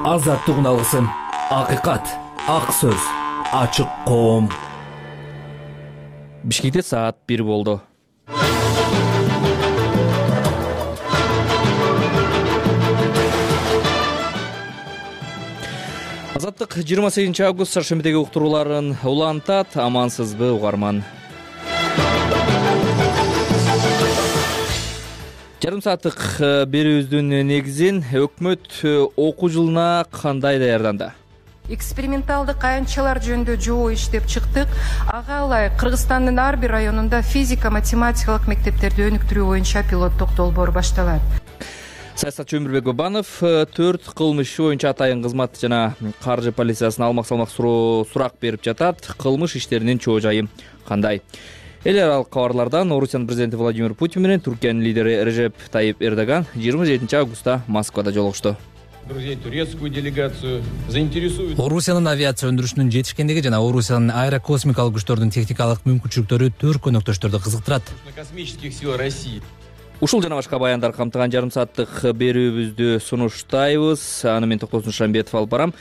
Азаттык үналысын, акыйкат, ак сөз, ачык коом. Бишкекте саат 1 болду. Азаттык 28 август шаршембидеги уктурууларын улантат. Амансызбы угарман? Жарым сааттык берүүбүздүн негизин өкмөт окуу жылына кандай даярданды? Эксперименталдык аянтчалар жөнүндө жоо иштеп чыктык. Ага ылайык Кыргызстандын ар бир районунда физика, математикалык мектептерди өнүктүрүү боюнча пилоттук долбоор башталат. Саясатчы Өмүрбек Бабанов 4 кылмыш боюнча атайын кызмат жана каржы полициясына алмак-салмак сурак берип жатат. Кылмыш иштеринин чоо жайы кандай? Эл аралык кабарлардан Орусиянын президенти Владимир Путин менен Түркиянын лидери Режеп Тайип Эрдоган 27 августта Москвада жолугушту. Друзей, турецкую делегацию заинтересует. Орусиянын авиация өндүрүшүнүн жетишкендиги жана Орусиянын аэрокосмикалык күчтөрдүн техникалык мүмкүнчүлүктөрү төрт өнөктөштөрдү кызыктырат. Космических сил России. Ушул жана башка баяндар камтыган жарым сааттык берүүбүздү сунуштайбыз. Аны мен Токтосун Шамбетов алып барам.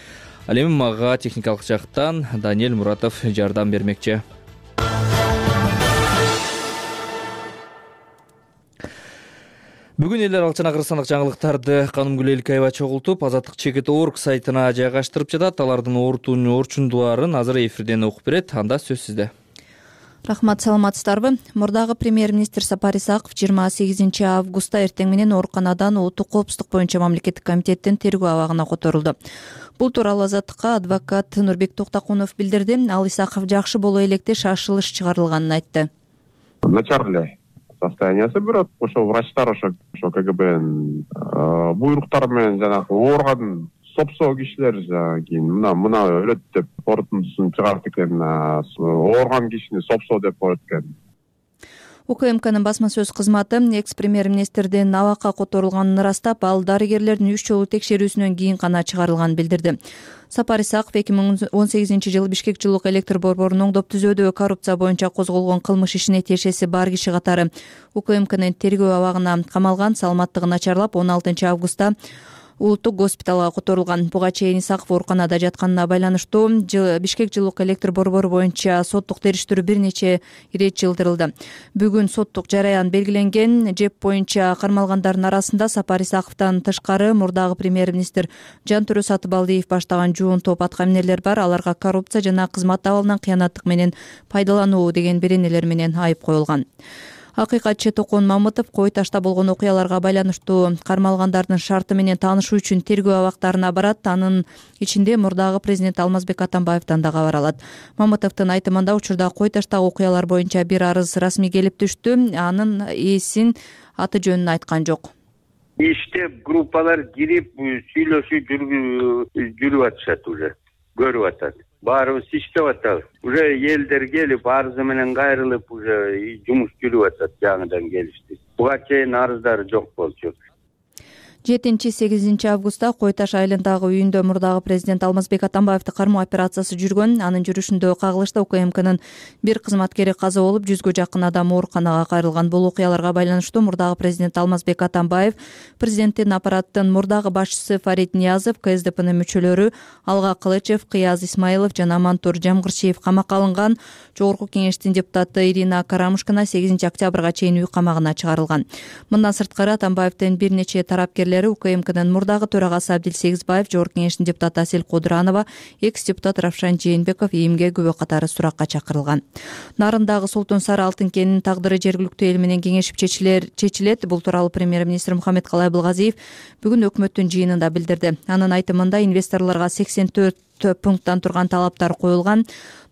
Ал эми мага техникалык жактан Даниэль Муратов жардам бермекчи. Бүгүн эл аралык жана кыргызстандык жаңылыктарды Канымгүл Элкаева чогултуп, Азаттык Чекит.org сайтына жайгаштырып жатат. Алардын орчундуларын азыр эфирден окуп берет. Анда сөз сизде. Рахмат, саламатсыздарбы? Мурдагы премьер-министр Сапар Исаков 28 августта эртең менен ооруканадан улуттук коопсуздук боюнча мамлекеттик комитеттин тергөө абагына которулду. Бул тууралуу Азаттыкка адвокат Нурбек Токтокунов билдирди. Ал Исаков жакшы боло электе шашылыш чыгарылганын айтты. Начарле состояниясы бирок ошо врачтар ошо КГБнын буйруктары менен жанагы оорган сопсоо кишилер кийин мына өлөт деп корутундусун чыгарат экен, оорган кишини сопсоо деп коет экен. УКМКнын басма сөз кызматы экс-премьер-министрдин абакка которулганын ырастап, ал дарыгерлердин 3 жолу текшерүүсүнөн кийин гана чыгарылганын билдирди. Сапар Исаков 2018 жылы Бишкек жылуулук электр борборунун оңдоп түзөөдөгү коррупция боюнча козголгон кылмыш ишине тиешеси бар киши катары УКМКнын тергөө абагына камалган, саламаттыгы начарлап 16 августта улуттук госпиталга которулган. Буга чейин Исаков ооруканада жатканына байланыштуу Бишкек жылуулук электр борбору боюнча соттук териштирүү бир нече ирет жылдырылды. Бүгүн соттук жараян белгиленген. ЖЭП боюнча кармалгандардын арасында Сапар Исаковдон тышкары мурдагы премьер-министр Жантөрө Сатыбалдиев баштаган жуун топ аткаминерлер бар. Аларга коррупция жана кызмат абалынан кыянаттык менен пайдалануу деген беренелер менен айып коюлган. Акыйкатчы Токон Мамытов кой ташта болгон окуяларга байланыштуу кармалгандардын шарты менен таанышуу үчүн тергөө абактарына барат. Анын ичинде мурдагы президент Алмазбек Атамбаевден да кабар алат. Мамытовдун айтымында учурда кой таштагы окуялар боюнча бир арыз расмий келип түштү. Анын ээсин аты жөнүн айткан жок. Иштеп группалар кирип сүйлөшүү жүрүп атышат, уже көрүп атат. Баарыбыз иштеп атабыз. Уже элдер келип арызы менен кайрылып, уже жумуш жүрүп атат, жаңыдан келишти. Буга чейин арыздар жок болчу. 7-8 августта Кой Таш айылындагы үйүндө мурдагы президент Алмазбек Атамбаевди кармоо операциясы жүргөн. Анын жүрүшүндө кагылышта УКМКнын бир кызматкери каза болуп, 100гө жакын адам ооруканага кайрылган. Бул окуяларга байланыштуу мурдагы президент Алмазбек Атамбаев, президенттин аппараттын мурдагы башчысы Фарид Ниязов, КСДПнын мүчөлөрү Алга Кылычев, Кыяз Исмаилов жана Мантур Жамгырчиев камакка алынган. Жогорку кеңештин депутаты Ирина Карамушкина 8 октябрга чейин үй камагына чыгарылган. Мындан сырткары Атамбаевдин бир нече тарапкерлери УКМКнын мурдагы төрагасы Абдил Сегизбаев, Жогорку кеңештин депутаты Асель Кодуранова, экс-депутат Равшан Жээнбеков ийимге күбө катары суракка чакырылган. Нарындагы Солтун Сары алтын кенинин тагдыры жергиликтүү эл менен кеңешип чечилет. Бул тууралуу премьер-министр Мухаммедкалай Абылгазиев бүгүн өкмөттүн жыйынында билдирди. Анын айтымында инвесторлорго 84 пункттан турган талаптар коюлган.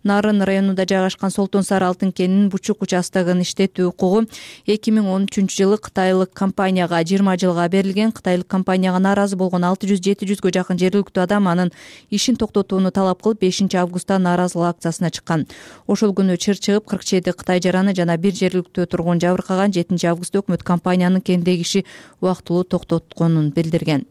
Нарын районунда жайгашкан Солтун Сары алтын кенинин Бучук участогун иштетүү укугу 2013 жылы кытайлык компанияга 20 жылга берилген. Кытайлык компанияга нааразы болгон 600-700гө жакын жергиликтүү адам анын ишин токтотууну талап кылып 5 августта нааразылык акциясына чыккан. Ошол күнү чыр чыгып 47 кытай жараны жана бир жергиликтүү тургун жабыркаган. 7 августта өкмөт компаниянын кендеги иши убактылуу токтотконун билдирген.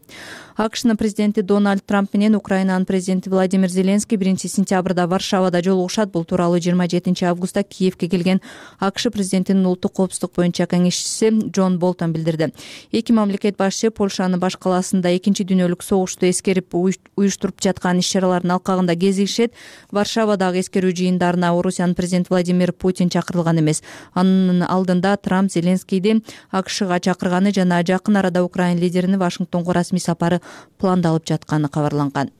АКШнын президенти Дональд Трамп менен Украинанын президенти Владимир Зеленский 1-сентябрда Варшавада жолугушат. Бул тууралуу 27 августта Киевке келген АКШ президентинин улуттук коопсуздук боюнча кеңешчиси Джон Болтон билдирди. Эки мамлекет башчы Польшанын баш калаасында Экинчи дүйнөлүк согушту эскерип уюштуруп жаткан иш-чаралардын алкагында кезигишет. Варшавадагы эскерүү жыйындарына Орусиянын президенти Владимир Путин чакырылган эмес. Анын алдында Трамп Зеленскийди АКШга чакырганы жана жакын арада Украина лидеринин Вашингтонго расмий сапары пландалып жатканы кабарланган.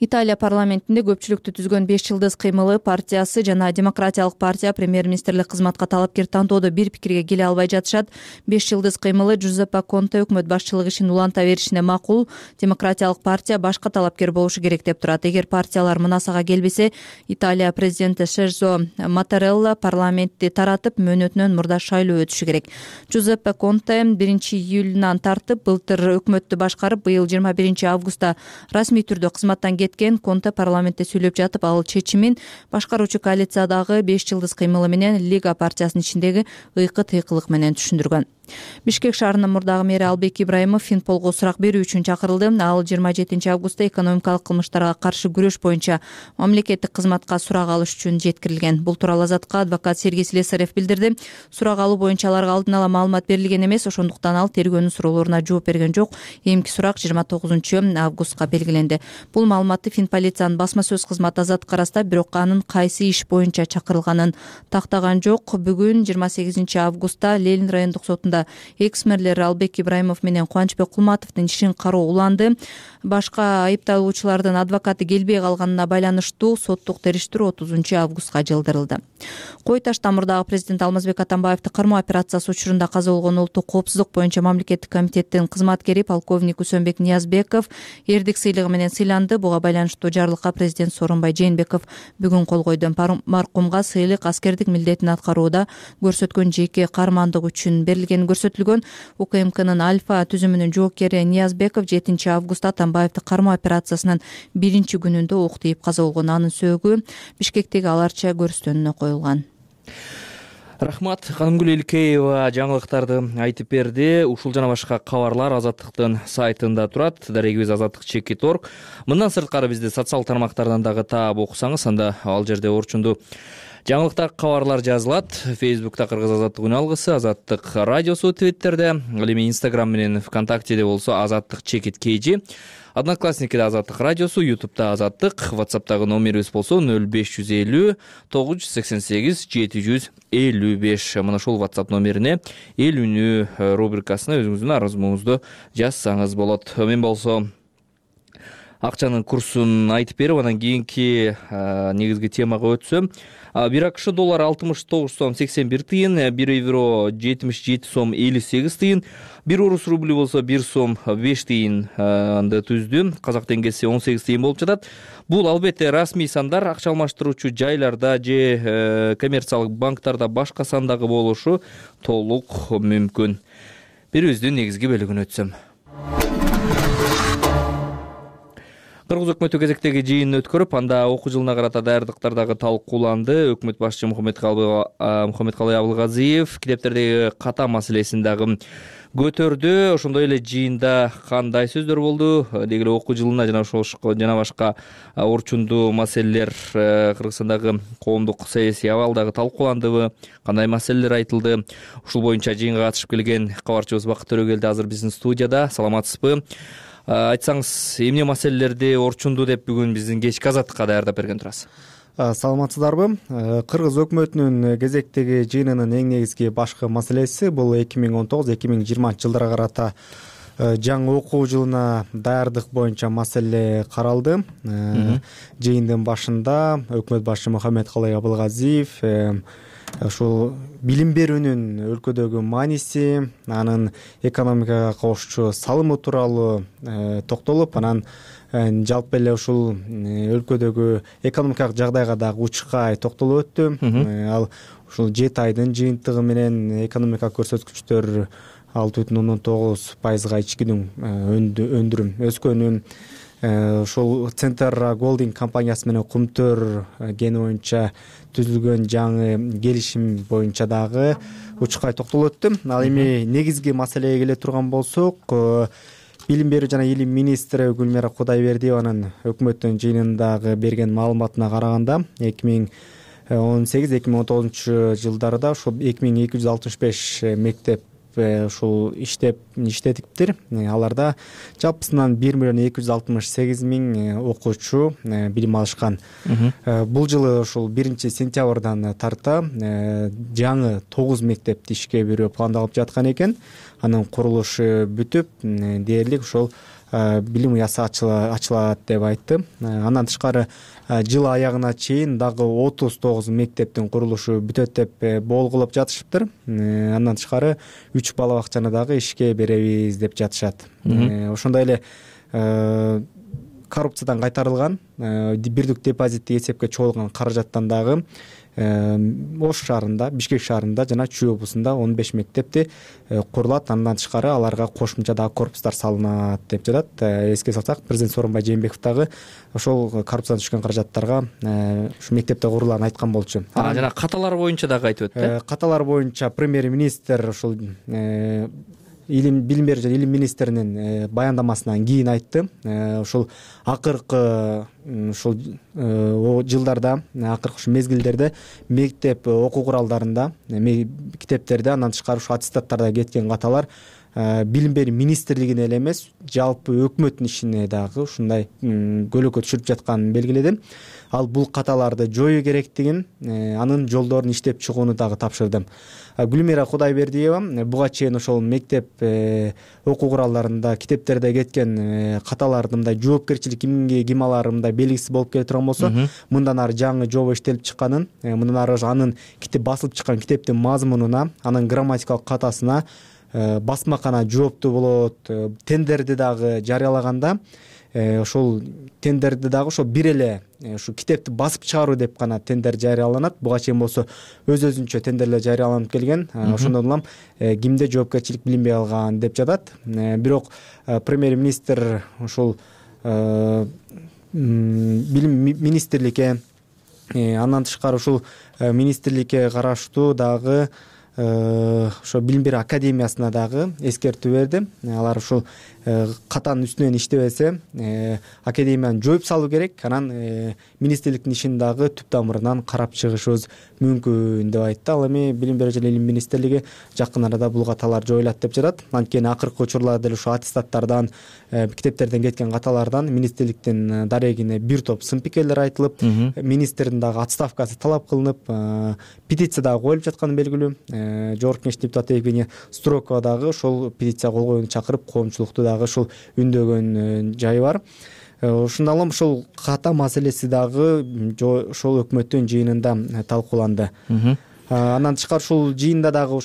Италия парламентинде көпчүлүктү түзгөн 5 жылдыз кыймылы партиясы жана Демократиялык партия премьер-министрлик кызматка талапкер тантоодо бир пикирге келе албай жатышат. 5 жылдыз кыймылы Джузеппе Конте өкмөт башчылык ишин уланта беришине макул. Демократиялык партия башка талапкер болушу керек деп турат. Эгер партиялар мынасага келбесе, Италия президенти Сержо Матарелла парламентти таратып, мөөнөтүнөн мурда шайлоо өтүшү керек. Джузеппе Конте 1-июлунан тартып былтыр өкмөттү башкарып, быйыл 21 августта расмий түрдө кызматтан Конте парламентте сүйлөп жатып, ал чечимин башкаруучу коалициядагы 5 жылдыз кыймылы менен Лига партиясынын ичиндеги ыйкы-тыйкылык менен түшүндүргөн. Бишкек шаарынын мурдагы мэри Албек Ибраимов Финполго сурак берүү үчүн чакырылды. Ал 27 августта экономикалык кылмыштарга каршы күрөш боюнча мамлекеттик кызматка сурак алыш үчүн жеткирилген. Бул тууралуу Азатка адвокат Сергей Слесарев билдирди. Сурак алуу боюнча аларга алдын ала маалымат берилген эмес, ошондуктан ал тергөөнүн суроолоруна жооп берген жок. Эмки сурак 29 августка белгиленди. Бул маалыматты Финполициянын басма сөз кызматы Азатка ырастап, бирок анын кайсы иш боюнча чакырылганын тактаган жок. Бүгүн 28 августта Ленин райондук сотунда экс-мэрлер Албек Ибраимов менен Кубанычбек Кулматовдун ишин кароо уланды. Башка айыпталуучулардын адвокаты келбей калганына байланыштуу соттук териштирүү 30 августка жылдырылды. Кой Ташта мурдагы президент Алмазбек Атамбаевди кармоо операциясы учурунда каза болгон улуттук коопсуздук боюнча мамлекеттик комитеттин кызматкери полковник Усенбек Ниязбеков эрдик сыйлыгы менен сыйланды. Буга байланыштуу жарлыкка президент Сооронбай Жээнбеков бүгүн кол койду. Маркумга сыйлык аскердик милдетин аткарууда көрсөткөн жеке кармандык үчүн берилгени көрсөтүлгөн. УКМКнын Альфа түзүмүнүн жоокери Ниязбеков 7 августта Атамбаевди кармоо операциясынын 1 күнүндө ок тийип каза болгон. Анын сөөгү Бишкектеги Аларча көрүстөнүнө коюлган. Рахмат. Канымгүл Элкеева жаңылыктарды айтып берди. Ушул жана башка кабарлар Азаттыктын сайтында турат. Дарегибиз azattik.org. Мындан сырткары бизди социалдык тармактардан дагы таап окусаңыз, анда ал жерде орчундуу жаңылыктар, кабарлар жазылат. Фейсбукта Кыргыз Азаттык үн алгысы, Азаттык радиосу, Твиттерде, ал эми Инстаграм менен ВКонтактеде болсо azattik_kg, Одноклассникиде Азаттык радиосу, Ютубта Азаттык, WhatsApp'тагы номерибиз болсо 0550 988 755. Мына ушул WhatsApp номерине эл үнү рубрикасына өзүңүздүн арызыңызды жазсаңыз болот. Мен болсо акчанын курсун айтып берип, анан кийинки негизги темага өтсөм, 1 АКШ доллары 69 сом 81 тыйын, 1 евро 77 сом 58 тыйын, 1 орус рубли болсо 1 сом 5 тыйын анды түздү. Казак теңгеси 18 тыйын болуп жатат. Бул албетте расмий сандар, акча алмаштыруучу жайларда же коммерциялык банктарда башка сандагы болушу толук мүмкүн. Бирибиздин негизги бөлүгүнө өтсөм. Кыргыз өкмөтү кезектеги жыйынын өткөрүп, анда окуу жылына карата даярдыктар дагы талкууланды. Өкмөт башчы Мухаммедкалый Абылгазиев китептердеги ката маселесин дагы көтөрдү. Ошондой эле жыйында кандай сөздөр болду? Деги эле окуу жылына жана башка орчундуу маселелер, Кыргызстандагы коомдук саясий абал дагы талкууландыбы? Кандай маселелер айтылды? Ушул боюнча жыйынга катышып келген кабарчыбыз Бакыт Төрөгелди азыр биздин студияда. Саламатсызбы? Айтсаңыз, эмне маселелерди орчундуу деп бүгүн биздин кечки Азаттыкка даярдап берген турасыз? Саламатсыздарбы? Кыргыз өкмөтүнүн кезектеги жыйынынын эң негизги башкы маселеси бул 2019-2020 жылдарга карата жаңы окуу жылына даярдык боюнча маселе каралды. Жыйындын башында өкмөт башчы Мухаммедкалый Абылгазиев ушул билим берүүнүн өлкөдөгү мааниси, анын экономикага кошчу салымы тууралуу токтолуп, анан жалпы эле ушул өлкөдөгү экономикалык жагдайга дагы учкай токтолуп өттү. Ал ушул 7 айдын жыйынтыгы менен экономикалык көрсөткүчтөр 6,9%-га ичкинүн өндүрүм өскөнүн, ушул Центр Голдинг компаниясы менен Кумтөр кени боюнча түзүлгөн жаңы келишим боюнча дагы учкай токтолуп өттү. Ал эми негизги маселеге келе турган болсок, Билим берүү жана илим министри Гүлмира Кудайбердиеванын өкмөттүн жыйынындагы берген маалыматына караганда 2018-2019 жылдарда ушул 2265 мектеп ушул иштетиптир. Аларда жалпысынан 1.268.000 окуучу билим алышкан. Бул жылы ушул 1-сентябрдан тарта жаңы 9 мектепти ишке берүү пландалып жаткан экен. Анын курулушу бүтүп, дээрлик ошол билим уясы ачылат деп айтты. Андан тышкары жыл аягына чейин дагы 39 мектептин курулушу бүтөт деп болгулоп жатышыптыр. Андан тышкары 3 бала бакчаны дагы ишке беребиз деп жатышат. Ошондой эле коррупциядан кайтарылган бирдик депозитти эсепке чогулган каражаттан дагы Ош шаарында, Бишкек шаарында жана Чүй облусунда 15 мектепти курулат. Андан тышкары аларга кошумча дагы корпустар салынат деп жатат. Эске салсак, президент Сооронбай Жээнбеков дагы ошол коррупциядан түшкөн каражаттарга ушу мектепте курулаарын айткан болчу. Жана каталар боюнча дагы айтып өттү. Каталар боюнча премьер-министр ушул билим берүү жана илим министринин баяндамасынан кийин айтты. Ушул акыркы ушул жылдарда, акыркы ушул мезгилдерде мектеп окуу куралдарында, китептерде, андан тышкары ушул аттестаттарда кеткен каталар билим берүү министрлигине эле эмес, жалпы өкмөттүн ишине дагы ушундай көлөкө түшүрүп жатканын белгиледи. Ал бул каталарды жоюу керектигин, анын жолдорун иштеп чыгууну дагы тапшырды. Гүлмира Кудайбердиева буга чейин ошол мектеп окуу куралдарында, китептерде кеткен каталардын мындай жоопкерчилик ким алары мындай белгисиз болуп келе турган болсо, мындан ары жаңы жоба иштелип чыкканын, мындан ары анын басылып чыккан китептин мазмунуна, анын грамматикалык катасына басмакана жооптуу болот. Тендерди дагы жарыялаганда ошол тендерди дагы ошол бир эле ушу китепти басып чыгаруу деп гана тендер жарыяланат. Буга чейин болсо өз-өзүнчө тендерлер жарыяланып келген. Ошондон улам кимде жоопкерчилик билинбей калган деп жатат. Бирок премьер-министр ушул билим министрликке, андан тышкары ушул министрликке караштуу дагы ошо билим берүү академиясына дагы эскертүү берди. Алар ушул катанын үстүнөн иштебесе, академияны жоюп салуу керек. Анан министрликтин ишин дагы түп тамырынан карап чыгышыбыз мүмкүн деп айтты. Ал эми билим берүү жана илим министрлиги жакын арада бул каталар жоюлат деп жатат. Анткени акыркы учурларда деле ушул аттестаттардан, китептерден кеткен каталардан министрликтин дарегине бир топ сын пикирлер айтылып, министрдин дагы отставкасы талап кылынып, петиция дагы коюлуп жатканы белгилүү. Жогорку Кеңештин депутаты Евгения Строкова дагы ошол петиция кол коюуну чакырып, коомчулукту дагы ушул үндөгөн жайы бар. Ушундан улам ушул ката маселеси дагы ошол өкмөттүн жыйынында талкууланды. Андан тышкары ушул жыйында дагы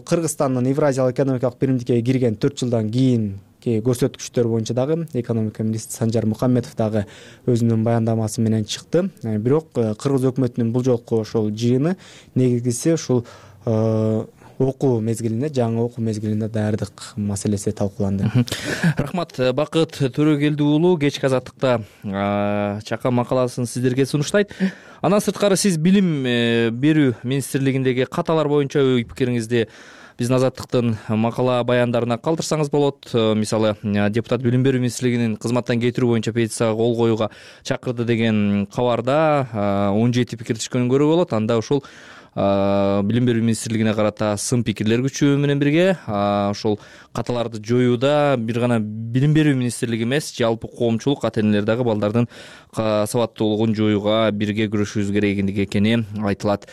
Кыргызстандын Евразиялык экономикалык биримдикке кирген 4 жылдан кийин көрсөткүчтөр боюнча дагы экономика министри Санжар Мухаммедов дагы өзүнүн баяндамасы менен чыкты. Бирок кыргыз өкмөтүнүн бул жолку ошол жыйыны негизгиси ушул окуу мезгилине, жаңы окуу мезгилине даярдык маселеси талкууланды. Рахмат. Бакыт Төрөгелди уулу кечки азаттыкта чакан макаласын сиздерге сунуштайт. Андан сырткары сиз билим берүү министрлигиндеги каталар боюнча ой пикириңизди биздин азаттыктын макала баяндарына калтырсаңыз болот. Мисалы, депутат билим берүү министрлигинин кызматтан кетирүү боюнча петицияга кол коюуга чакырды деген кабарда 17 пикир түшкөнүн көрүүгө болот. Анда ушул билим берүү министрлигине карата сын пикирлер күчөө менен бирге ошол каталарды жоюуда бир гана билим берүү министрлиги эмес, жалпы коомчулук, ата-энелер дагы балдардын сабаттуулугун жоюуга бирге күрөшүүбүз керек экени айтылат.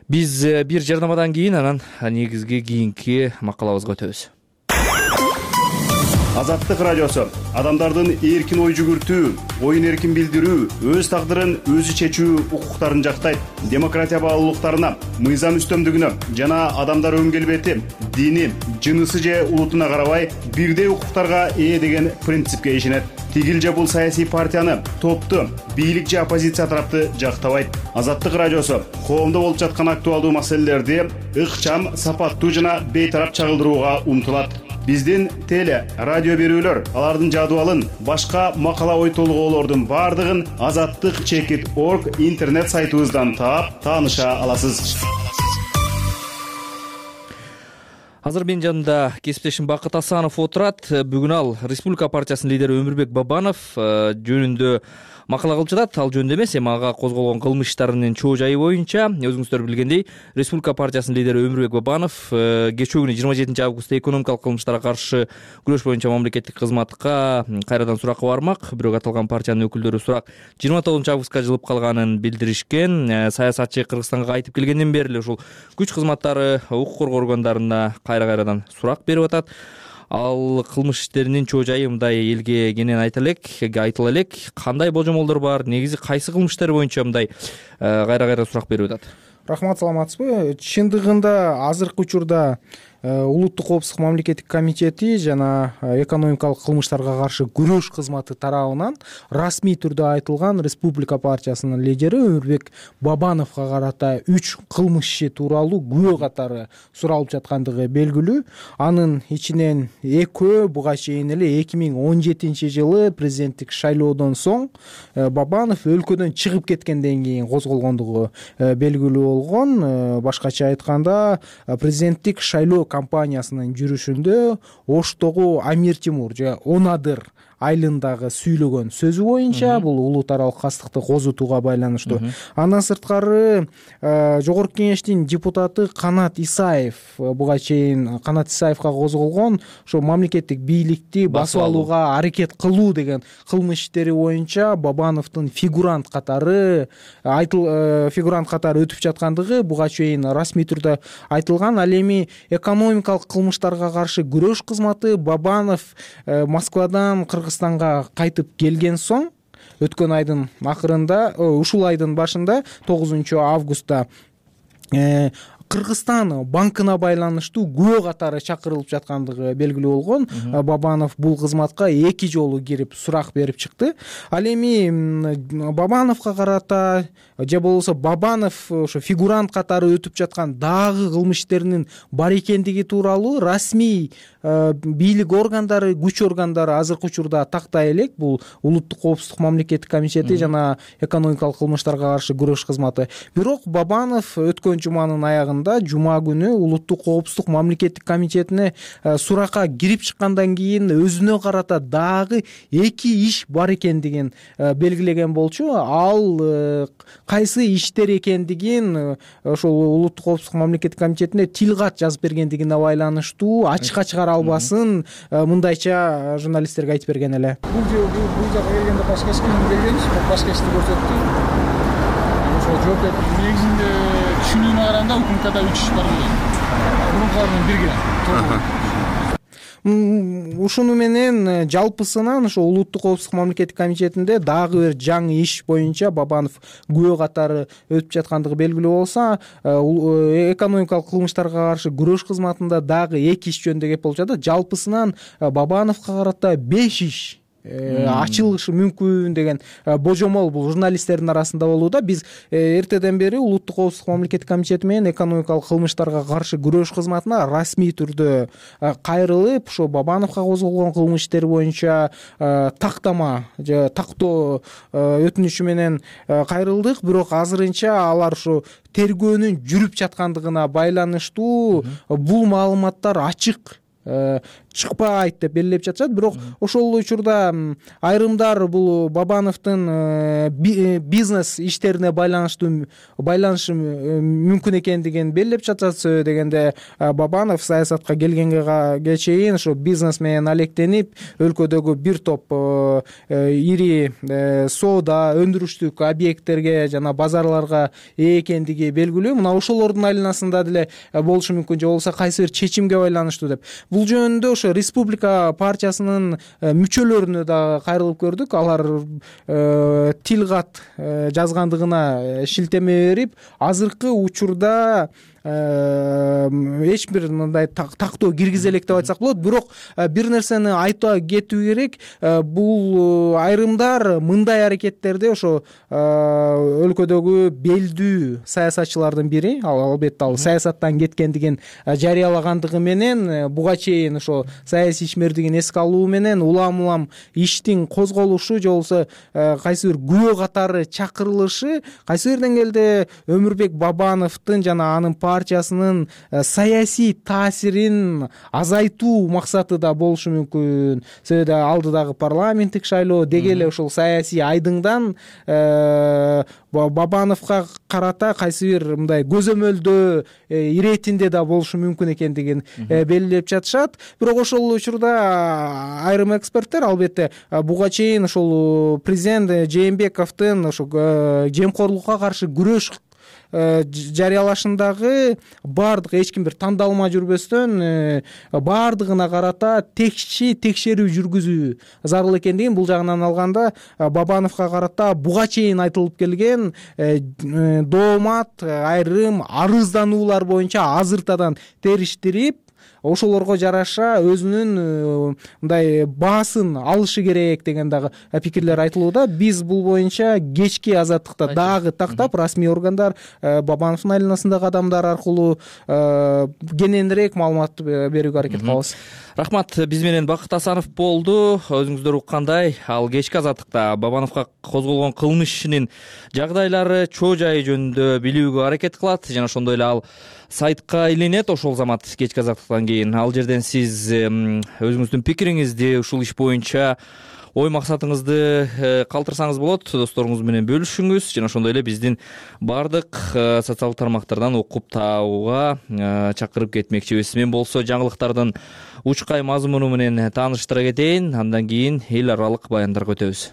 Биз бир жарнамадан кийин анан негизги кийинки макалабызга өтөбүз. Азаттык радиосу адамдардын эркин ой жүгүртүү, оюн эркин билдирүү, өз тагдырын өзү чечүү укуктарын жактайт. Демократия баалуулуктарына, мыйзам үстөмдүгүнө жана адамдар өн келбети, дини, жынысы же улутуна карабай бирдей укуктарга ээ деген принципке ишенет. Тигил же бул саясий партияны, топту, бийлик же оппозиция тарапты жактабайт. Азаттык радиосу коомдо болуп жаткан актуалдуу маселелерди ыкчам, сапаттуу жана бейтарап чагылдырууга умтулат. Биздин теле, радио берүүлөр, алардын жадыбалын, башка макала ой толгоолордун бардыгын azattik.org интернет сайтыбыздан таап, тааныша аласыз. Азыр менин жанымда кесиптешим Бакыт Асанов отурат. Бүгүн ал Республика партиясынын лидери Өмүрбек Бабанов жөнүндө макала кылып жатат. Ал жөнүндө эмес, эми ага козголгон кылмыш иштарынын чоо жайы боюнча. Өзүңүздөр билгендей, Республика партиясынын лидери Өмүрбек Бабанов кечээ күнү 27 августта экономикалык кылмыштарга каршы күрөш боюнча мамлекеттик кызматка кайрадан суракка бармак. Бирок аталган партиянын өкүлдөрү сурак 29 августка жылып калганын билдиришкен. Саясатчы Кыргызстанга кайтып келгенден бери эле ушул күч кызматтары, укук коргоо органдарына кайрадан сурак берип атат. Ал кылмыш иштеринин чоо жайы мындай элге кенен айтыла элек. Кандай божомолдор бар? Негизи кайсы кылмыш иштер боюнча мындай кайра сурак берип атат? Рахмат, саламатсызбы? Чындыгында азыркы учурда Улуттук коопсуздук мамлекеттик комитети жана экономикалык кылмыштарга каршы күрөш кызматы тарабынан расмий түрдө айтылган Республика партиясынын лидери Өмүрбек Бабановго карата 3 кылмыш иши тууралуу күбө катары суралып жаткандыгы белгилүү. Анын ичинен экөө буга чейин эле 2017 жылы президенттик шайлоодон соң Бабанов өлкөдөн чыгып кеткенден кийин козголгондугу белгилүү болгон. Башкача айтканда, президенттик шайлоо компаниясынын жүрүшүндө Оштогу Амир Тимур же Онадыр айылындагы сүйлөгөн сөзү боюнча бул улут аралык кастыкты козутууга байланыштуу. Андан сырткары Жогорку кеңештин депутаты Канат Исаев буга чейин Канат Исаевга козголгон ошо мамлекеттик бийликти басып алууга аракет кылуу деген кылмыш иштери боюнча Бабановдун фигурант катары өтүп жаткандыгы буга чейин расмий түрдө айтылган. Ал эми экономикалык кылмыштарга каршы күрөш кызматы Бабанов Москвадан Кыргызстанга кайтып келген соң өткөн айдын акырында, ушул айдын башында 9 августта Кыргызстан банкына байланыштуу күбө катары чакырылып жаткандыгы белгилүү болгон. Бабанов бул кызматка 2 жолу кирип сурак берип чыкты. Ал эми Бабановго карата же болбосо Бабанов ошо фигурант катары өтүп жаткан дагы кылмыш иштеринин бар экендиги тууралуу расмий бийлик органдары, күч органдары азыркы учурда тактай элек. Бул Улуттук коопсуздук мамлекеттик комитети жана экономикалык кылмыштарга каршы күрөш кызматы. Бирок Бабанов өткөн жуманын аягында, жума күнү Улуттук коопсуздук мамлекеттик комитетине суракка кирип чыккандан кийин өзүнө карата дагы 2 иш бар экендигин белгилеген болчу. Ал кайсы иштер экендигин ошол Улуттук коопсуздук мамлекеттик комитетине тил кат жазып бергендигине байланыштуу ачыкка чыгара албасын мындайча журналисттерге айтып берген эле. Бул жакка келгенде башка эч ким келгенбиз, башка ишти көрсөттү. Ошо жооп берип, негизинде түшүнүүгө караганда УКМКда 3 иш бар эле. Мурункулар менен бирге. Ушуну менен жалпысынан ошо Улуттук коопсуздук мамлекеттик комитетинде дагы бир жаңы иш боюнча Бабанов күбө катары өтүп жаткандыгы белгилүү болсо, экономикалык кылмыштарга каршы күрөш кызматында дагы 2 иш жөнүндө кеп болуп жатат. Жалпысынан Бабановго карата 5 иш ачылышы мүмкүн деген божомол бул журналисттердин арасында болууда. Биз эртеден бери Улуттук коопсуздук мамлекеттик комитети менен экономикалык кылмыштарга каршы күрөш кызматына расмий түрдө кайрылып, ошо Бабановго козголгон кылмыш иштери боюнча тактама же тактоо өтүнүчү менен кайрылдык. Бирок азырынча алар ошо тергөөнүн жүрүп жаткандыгына байланыштуу бул маалыматтар ачык чыкпайт деп белгилеп жатышат. Бирок ошол учурда айрымдар бул Бабановдун бизнес иштерине байланышы мүмкүн экендигин белгилеп жатышат. Сөзү дегенде Бабанов саясатка келгенге чейин ошо бизнес менен алектенип, өлкөдөгү бир топ ири соода, өндүрүштүк объекттерге жана базарларга ээ экендиги белгилүү. Мына ошолордун айланасында деле болушу мүмкүн, же болбосо кайсы бир чечимге байланыштуу деп. Бул жөнүндө ошо Республика партиясынын мүчөлөрүнө да кайрылып көрдүк. Алар тил кат жазгандыгына шилтеме берип, азыркы учурда эч бир мындай тактоо киргизе элек деп айтсак болот. Бирок бир нерсени айта кетүү керек. Бул айрымдар мындай аракеттерди ошо өлкөдөгү белдүү саясатчылардын бири, албетте ал саясаттан кеткендигин жарыялагандыгы менен, буга чейин ошо саясий ишмердигин эске алуу менен улам иштин козголушу же болбосо кайсы бир күбө катары чакырылышы кайсы бир деңгээлде Өмүрбек Бабановдун жана анын партиясынын саясий таасирин азайтуу максаты да болушу мүмкүн. Себеби алдыдагы парламенттик шайлоо деги эле ошол саясий айдыңдан Бабановго карата кайсы бир мындай көзөмөлдөө иретинде да болушу мүмкүн экендигин белгилеп жатышат. Бирок ошол учурда айрым эксперттер албетте буга чейин ошол президент Жээнбековдун ошо жемкорлукка каршы күрөш жарыялашындагы баардык эч ким бир тандалма жүрбөстөн баардыгына карата текшерүү жүргүзүү зарыл экендигин, бул жагынан алганда Бабановго карата буга чейин айтылып келген доомат айрым арыздануулар боюнча азыртадан териштирип, ошолорго жараша өзүнүн мындай баасын алышы керек деген дагы пикирлер айтылууда. Биз бул боюнча кечки азаттыкта дагы тактап, расмий органдар Бабановдун айланасындагы адамдар аркылуу кененирээк маалымат берүүгө аракет кылабыз. Рахмат. Биз менен Бакыт Асанов болду. Өзүңүздөр уккандай, ал кечки азаттыкта Бабановго козголгон кылмыш ишинин жагдайлары, чоо жайы жөнүндө билүүгө аракет кылат жана ошондой эле ал сайтка илинет. Ошол замат кечки азаттыктан кийин ал жерден сиз өзүңүздүн пикириңизди, ушул иш боюнча ой максатыңызды калтырсаңыз болот, досторуңуз менен бөлүшүңүз жана ошондой эле биздин баардык социалдык тармактардан окуп таабууга чакырып кетмекчибиз. Мен болсо жаңылыктардын учкай мазмуну менен тааныштыра кетейин, андан кийин эл аралык баяндарга өтөбүз.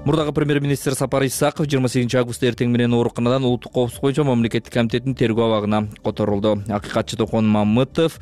Мурдагы премьер-министр Сапар Исаков 28 августта эртең менен ооруканадан улуттук коопсуздук боюнча мамлекеттик комитеттин тергөө абагына которулду. Акыйкатчы Токон Мамытов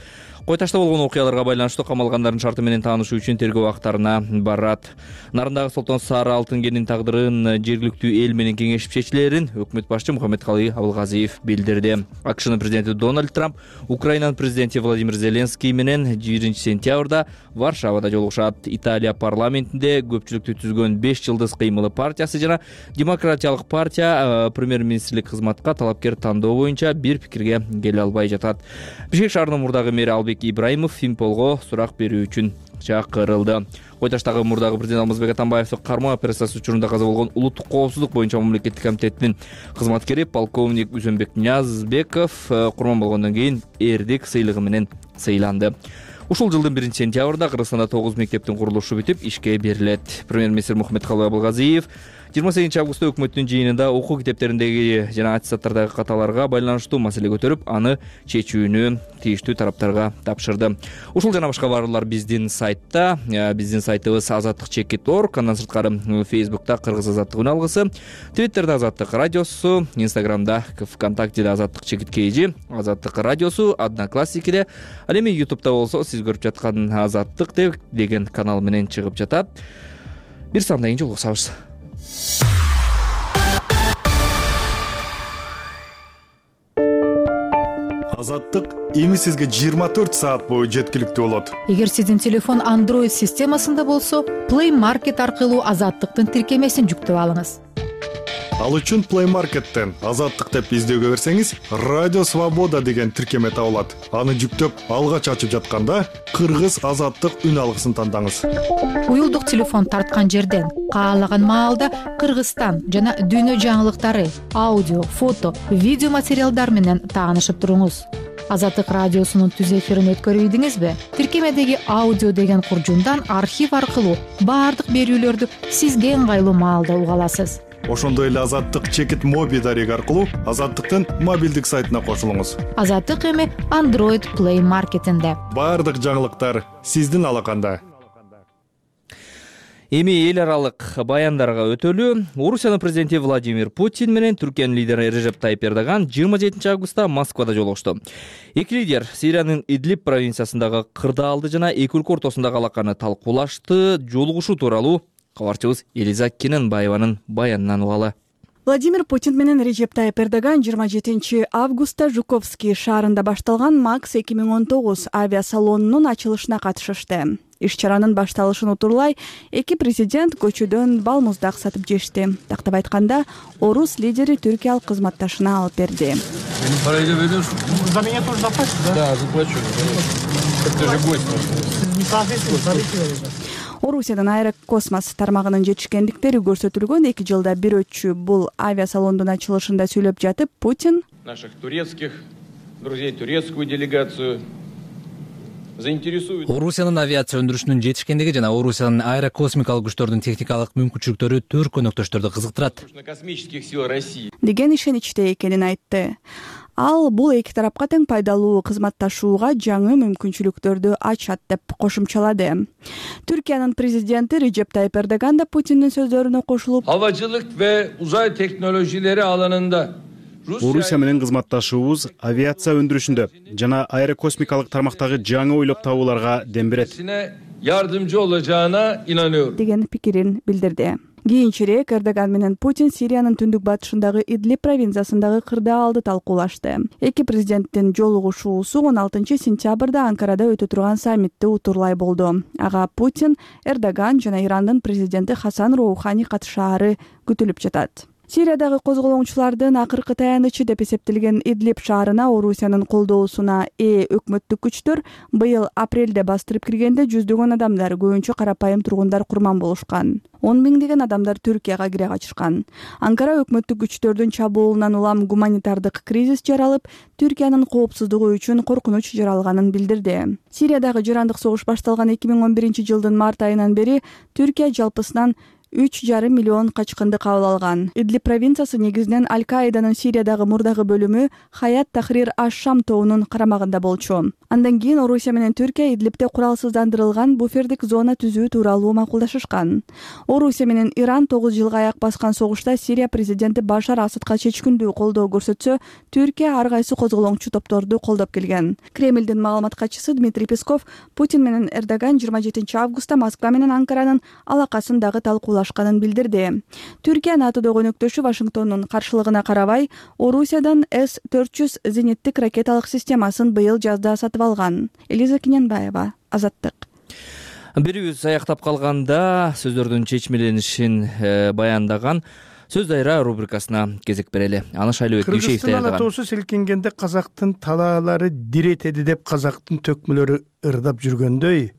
Кой Ташта болгон окуяларга байланыштуу камалгандардын шарты менен таанышуу үчүн тергөө абактарына барат. Нарындагы Солтон Сары алтын кенинин тагдырын жергиликтүү эл менен кеңешип чечилерин өкмөт башчы Мухаммедкалый Абылгазиев билдирди. АКШнын президенти Дональд Трамп Украинанын президенти Владимир Зеленский менен 1 сентябрда Варшавада жолугушат. Италия парламентинде көпчүлүктү түзгөн 5 жылдыз кыймылы партиясы жана Демократиялык партия премьер-министрлик кызматка талапкер тандоо боюнча бир пикирге келе албай жатат. Бишкек шаарынын мурдагы мэри Албек Ибраимов Финполго сурак берүү үчүн чакырылды. Кой Таштагы мурдагы президент Алмазбек Атамбаевдин кармоо операциясы учурунда каза болгон улуттук коопсуздук боюнча мамлекеттик комитеттин кызматкери полковник Үзөнбек Ниязбеков курман болгондон кийин эрдик сыйлыгы менен сыйланды. Ушул жылдын 1 сентябрда Кыргызстанда 9 мектептин курулушу бүтүп ишке берилет. Премьер-министр Мухаммедкалый Абылгазиев 28 августта өкмөттүн жыйынында окуу китептериндеги жана аттестаттардагы каталарга байланыштуу маселе көтөрүп, аны чечүүнү тийиштүү тараптарга тапшырды. Ушул жана башка баарлар биздин сайтта, биздин сайтыбыз azattik.org, андан сырткары Facebook'та Кыргыз азаттык үн алгысы, Twitter'да Азаттык радиосу, Instagram'да ВКонтактеде Азаттык Азаттык радиосу, Одноклассникиде, ал эми YouTube'да болсо сиз көрүп жаткан Азаттык деген канал менен чыгып жатат. Бир сандан кийин жолугушабыз. Азаттык эми сизге 24 саат бою жеткиликтүү болот. Эгер сиздин телефон Android системасында болсо, Play Market аркылуу Азаттыктын тиркемесин жүктөп алыңыз. Ал үчүн Play Market'тен Азаттык деп издөөгө берсеңиз, Радио Свобода деген тиркеме табылат. Аны жүктөп, алгач ачып жатканда Кыргыз Азаттык үн алгысын тандаңыз. Уюлдук телефон тарткан жерден каалаган маалда Кыргызстан жана дүйнө жаңылыктары, аудио, фото, видео материалдар менен таанышып туруңуз. Азаттык радиосунун түз эфирин өткөрүбүдүңүзбү? Тиркемедеги аудио деген куржундан архив аркылуу баардык берүүлөрдү сизге ыңгайлуу маалда уга аласыз. Ошондой эле Азаттык чекит моби дареги аркылуу Азаттыктын мобилдик сайтына кошулуңуз. Азаттык эми Android Play Market'инде. Баардык жаңылыктар сиздин алаканда. Эми эл аралык баяндарга өтөлү. Орусиянын президенти Владимир Путин менен Түркиянын лидери Режеп Тайип Эрдоган 27 августта Москвада жолугушту. Эки лидер Сириянын Идлиб провинциясындагы кырдаалды жана эки өлкө ортосундагы алаканы талкуулашты. Жолугушуу тууралуу кабарчыбыз Элиза Кененбаеванын баянынан угалы. Владимир Путин менен Режеп Тайип Эрдоган 27 августта Жуковский шаарында башталган МАКС 2019 авиасалонунун ачылышына катышышты. Иш-чаранын башталышын утурлай эки президент көчөдөн балмуздак сатып жешти. Тактап айтканда, орус лидери түркиялык кызматташына алып берди. За меня тоже заплатишь, да? Да, заплачу. Как ты же гость. Орусиянын Аэрокосмос тармагынын жетишкендиктери көрсөтүлгөн 2 жылда бир өтчү бул авиасалондун ачылышында сүйлөп жатып Путин наших турецких друзей, турецкую делегацию заинтересует. Орусиянын авиация өндүрүшүнүн жетишкендиги жана Орусиянын аэрокосмикалык күчтөрдүн техникалык мүмкүнчүлүктөрү төрт көнөктөштөрдү кызыктырат. Космических сил России деген ишеничте экенин айтты. Ал бул эки тарапка тең пайдалуу кызматташууга жаңы мүмкүнчүлүктөрдү ачат деп кошумчалады. Түркиянын президенти Recep Tayyip Erdogan да Путиндин сөздөрүнө кошулуп, havacılık ve uzay teknolojileri alanında Орусия менен кызматташуубуз авиация өндүрүшүндө жана аэрокосмикалык тармактагы жаңы ойлоп табууларга дем берет. yardımcı olacağına inanıyorum. деген пикирин билдирди. Кийинчерээк Эрдоган менен Путин Сириянын түндүк батышындагы Идлиб провинциясындагы кырдаалды талкуулашты. Эки президенттин жолугушуусу 16 сентябрда Анкарада өтө турган саммитти утурлай болду. Ага Путин, Эрдоган жана Ирандын президенти Хасан Роухани катышаары күтүлүп жатат. Сириядагы козголоңчулардын акыркы таянычы деп эсептелген Идлиб шаарына Орусиянын колдоосуна өкмөттүк күчтөр быйыл апрелде бастырып киргенде жүздөгөн адамдар, көбүнчө карапайым тургундар курман болушкан. 10 миңдеген адамдар Түркияга кире качышкан. Анкара өкмөттүк күчтөрдүн чабуулунан улам гуманитардык кризис жаралып, Түркиянын коопсуздугу үчүн коркунуч жаралганын билдирди. Сириядагы жарандык согуш башталган 2011 жылдын март айынан бери Түркия жалпысынан 3,5 миллион качкынды кабыл алган. Идлиб провинциясы негизинен Аль-Каиданын Сириядагы мурдагы бөлүмү Хаят Тахрир аш-Шам тобунун карамагында болчу. Андан кийин Орусия менен Түркия Идлибте куралсыздандырылган буфердик зона түзүү тууралуу макулдашышкан. Орусия менен Иран 9 жылга аяк баскан согушта Сирия президенти Башар Асадка чечкиндүү колдоо көрсөтсө, Түркия ар кайсы козголоңчу топторду колдоп келген. Кремлдин маалымат катчысы Дмитрий Песков Путин менен Эрдоган 27 августта Москва менен Анкаранын алакасын дагы талкуулашканын билдирди. Түркия НАТОдогу өнөктөшү Вашингтондун каршылыгына карабай, Орусиядан С-400 зениттик ракеталык системасын быйыл жазда сатып алган. Элиза Киненбаева, Азаттык. Бирибиз аяктап калганда сөздөрдүн чечмеленишин баяндаган Сөз дайра рубрикасына кезек берели. Аны Шайлыбек Дүйшеев даярдаган. Кыргызстан атоосу селкингенде казактын талаалары диретеди деп казактын төкмөлөрү ырдап жүргөндөй,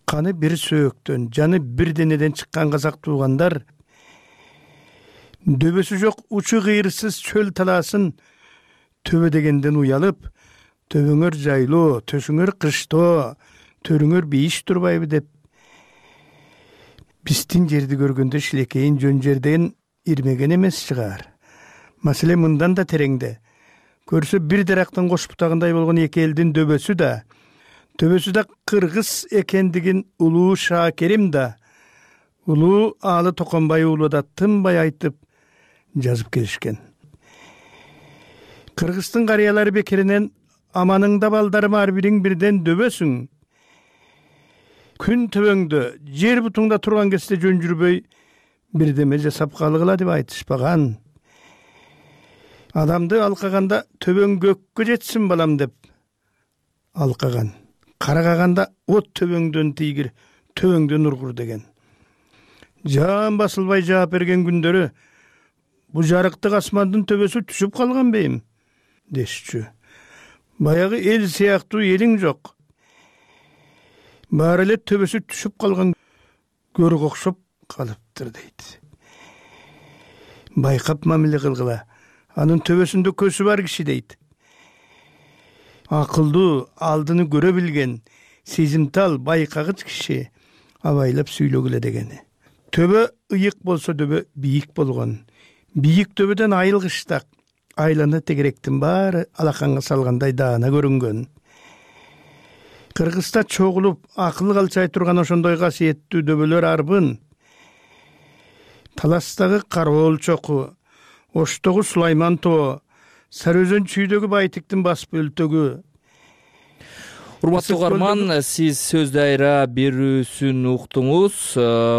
каны бир сөөктөн, жаны бир денеден чыккан казак туугандар дөбөсү жок учу кыйырсыз чөл талаасын төбө дегенден уялып, төбөңөр жайлоо, төшүңөр кыштоо, төрүңөр бейиш турбайбы деп биздин жерди көргөндө шилекейин жөн жерден ирмеген эмес чыгар. Маселе мындан да тереңде. Көрсө бир дарактын кош бутагындай болгон эки элдин төбөсү да кыргыз экендигин улуу Шакерим да, улуу Аалы Токонбай уулу да тынбай айтып жазып келишкен. Кыргыздын карыялары бекеринен аманыңда балдарым ар бириң бирден дөбөсүң. Күн төбөңдө, жер бутуңда турган кезде жөн жүрбөй бирдеме жасап калгыла деп айтышпаган. Адамды алкаганда төбөң көккө жетсин балам деп алкаган. Карагаганда от төбөңдөн тийгир, төбөңдөн ургур деген. Жан басылбай жаап берген күндөрү бу жарыктык асмандын төбөсү түшүп калган бейим дешчү. Баягы эл сыяктуу элиң жок. Баары эле төбөсү түшүп калган көрүк окшоп калыптыр дейт. Байкап мамиле кылгыла. Анын төбөсүндө көзү бар киши дейт. Акылдуу, алдыны көрө билген, сезимтал, байкагыч киши абайлап сүйлөгүлө дегени. Төбө ыйык болсо төбө бийик болгон. Бийик төбөдөн айылгыштак, айланы тегеректин баары алаканга салгандай даана көрүнгөн. Кыргызста чогулуп акыл калчай турган ошондой касиеттүү дөбөлөр арбын. Таластагы Кароол чоку, Оштогу Сулайман тоо, Сары Өзөн чүйдөгү Байтиктин бас бөлтөгү. Урматтуу угарман, сиз сөз дайра берүүсүн уктуңуз.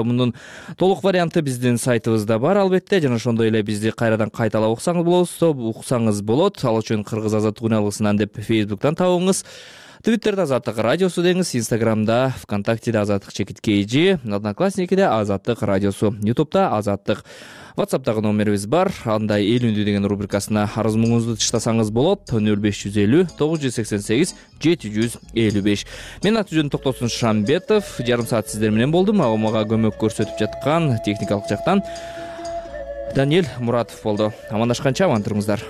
Мунун толук варианты биздин сайтыбызда бар албетте, жана ошондой эле бизди кайрадан кайталап уксаңыз болот. Ал үчүн Кыргыз азаттык үн алгысынан деп Facebook'тан табыңыз. Твиттерде Азаттык радиосу деңиз, Инстаграмда, ВКонтактеде Азаттык _KG, Одноклассникиде Азаттык радиосу, Ютубта Азаттык. WhatsApp'тагы номерибиз бар. Анда эл үндү деген рубрикасына арыз муңуңузду тыштасаңыз болот. 0550 988 755. Мен аты-жөнүм Токтосун Шамбетов. Жарым саат сиздер менен болдум. Мага көмөк көрсөтүп жаткан техникалык жактан Даниэль Муратов болду. Амандашканча аман туруңуздар.